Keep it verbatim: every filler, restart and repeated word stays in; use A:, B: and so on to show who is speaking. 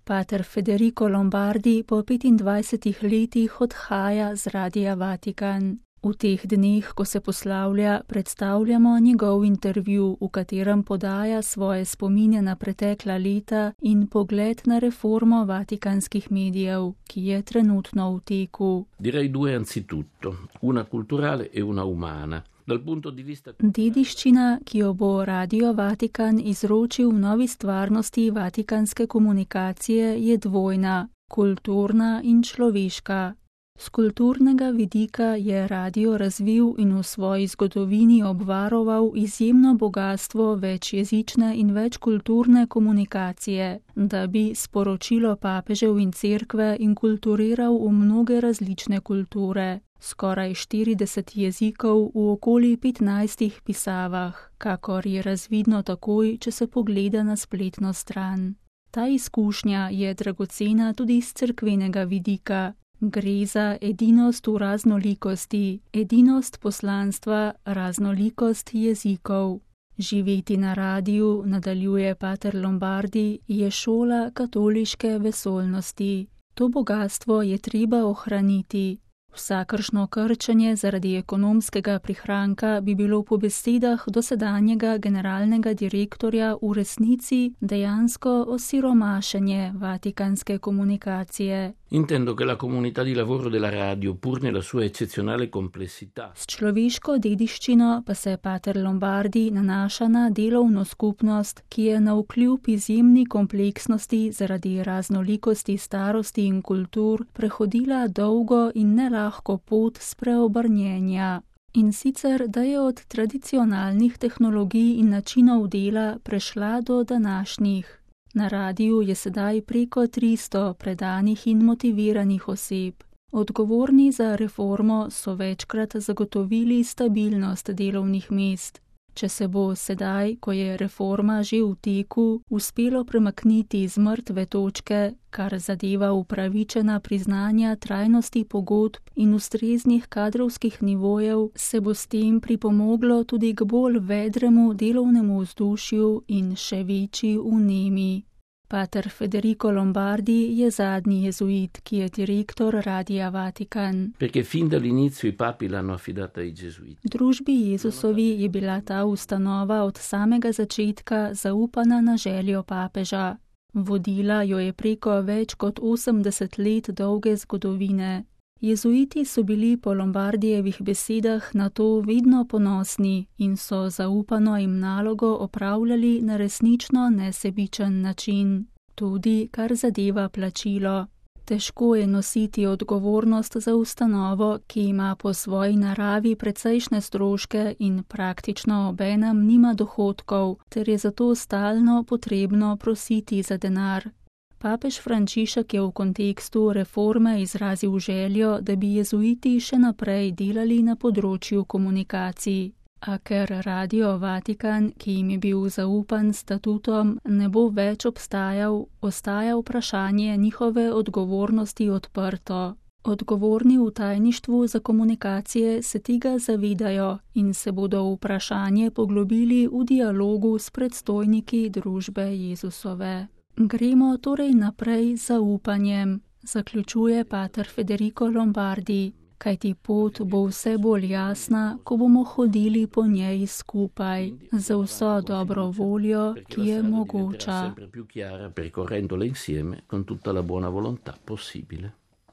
A: Pater Federico Lombardi po petindvajsetih letih odhaja z Radia Vatikan. V teh dneh, ko se poslavlja, predstavljamo njegov intervju, v katerem podaja svoje spomine na pretekla leta in pogled na reformo vatikanskih medijev, ki je trenutno v teku.
B: Direi due anzitutto, una culturale e una umana.
A: Dediščina, ki jo bo Radio Vatikan izročil v novi stvarnosti vatikanske komunikacije, je dvojna, kulturna in človeška. Z kulturnega vidika je radio razvil in v svoji zgodovini obvaroval izjemno bogatstvo večjezične in večkulturne komunikacije, da bi sporočilo papežev in cerkve inkulturiral v mnoge različne kulture. Skoraj štirideset jezikov v okoli petnajstih pisavah, kakor je razvidno takoj, če se pogleda na spletno stran. Ta izkušnja je dragocena tudi z cerkvenega vidika. Gre za edinost v raznolikosti, edinost poslanstva, raznolikost jezikov. Živeti na radiju, nadaljuje pater Lombardi, je šola katoliške vesoljnosti. To bogastvo je treba ohraniti. Vsakršno krčenje zaradi ekonomskega prihranka bi bilo po besedah dosedanjega generalnega direktorja v resnici dejansko osiromašenje vatikanske komunikacije.
B: Intendo che la comunità di lavoro della radio, pur nella sua eccezionale complessità.
A: S človeško dediščino pa se pater Lombardi nanaša na delovno skupnost, ki je navkljub izjemni kompleksnosti zaradi raznolikosti starosti in kultur prehodila dolgo in nelahko pot spreobrnjenja. In sicer, da je od tradicionalnih tehnologij in načinov dela prešla do današnjih. Na radiju je sedaj preko tristo predanih in motiviranih oseb. Odgovorni za reformo so večkrat zagotovili stabilnost delovnih mest. Če se bo sedaj, ko je reforma že v teku, uspelo premakniti z mrtve točke, kar zadeva upravičena priznanja trajnosti pogodb in ustreznih kadrovskih nivojev, se bo s tem pripomoglo tudi k bolj vedremu delovnemu vzdušju in še večji vnemi. Pater Federico Lombardi je zadnji jezuit, ki je direktor Radia Vatikan.
B: Perché fin dall'inizio i papi l'hanno affidata ai gesuiti.
A: Družbi Jezusovi je bila ta ustanova od samega začetka zaupana na željo papeža. Vodila jo je preko več kot osemdeset let dolge zgodovine. Jezuiti so bili po Lombardijevih besedah na to vedno ponosni in so zaupano jim nalogo opravljali na resnično nesebičen način. Tudi kar zadeva plačilo. Težko je nositi odgovornost za ustanovo, ki ima po svoji naravi precejšnje stroške in praktično obenem nima dohodkov, ter je zato stalno potrebno prositi za denar. Papež Frančišek je v kontekstu reforme izrazil željo, da bi jezuiti še naprej delali na področju komunikacij. A ker Radio Vatikan, ki jim je bil zaupan statutom, ne bo več obstajal, ostaja vprašanje njihove odgovornosti odprto. Odgovorni v tajništvu za komunikacije se tega zavedajo in se bodo v vprašanje poglobili v dialogu s predstojniki družbe Jezusove. Gremo torej naprej z zaupanjem, zaključuje pater Federico Lombardi, kajti pot bo vse bolj jasna, ko bomo hodili po njej skupaj, za vso dobro voljo, ki je mogoča.
B: Sempre più chiara percorrendola insieme con tutta la buona volontà possibile.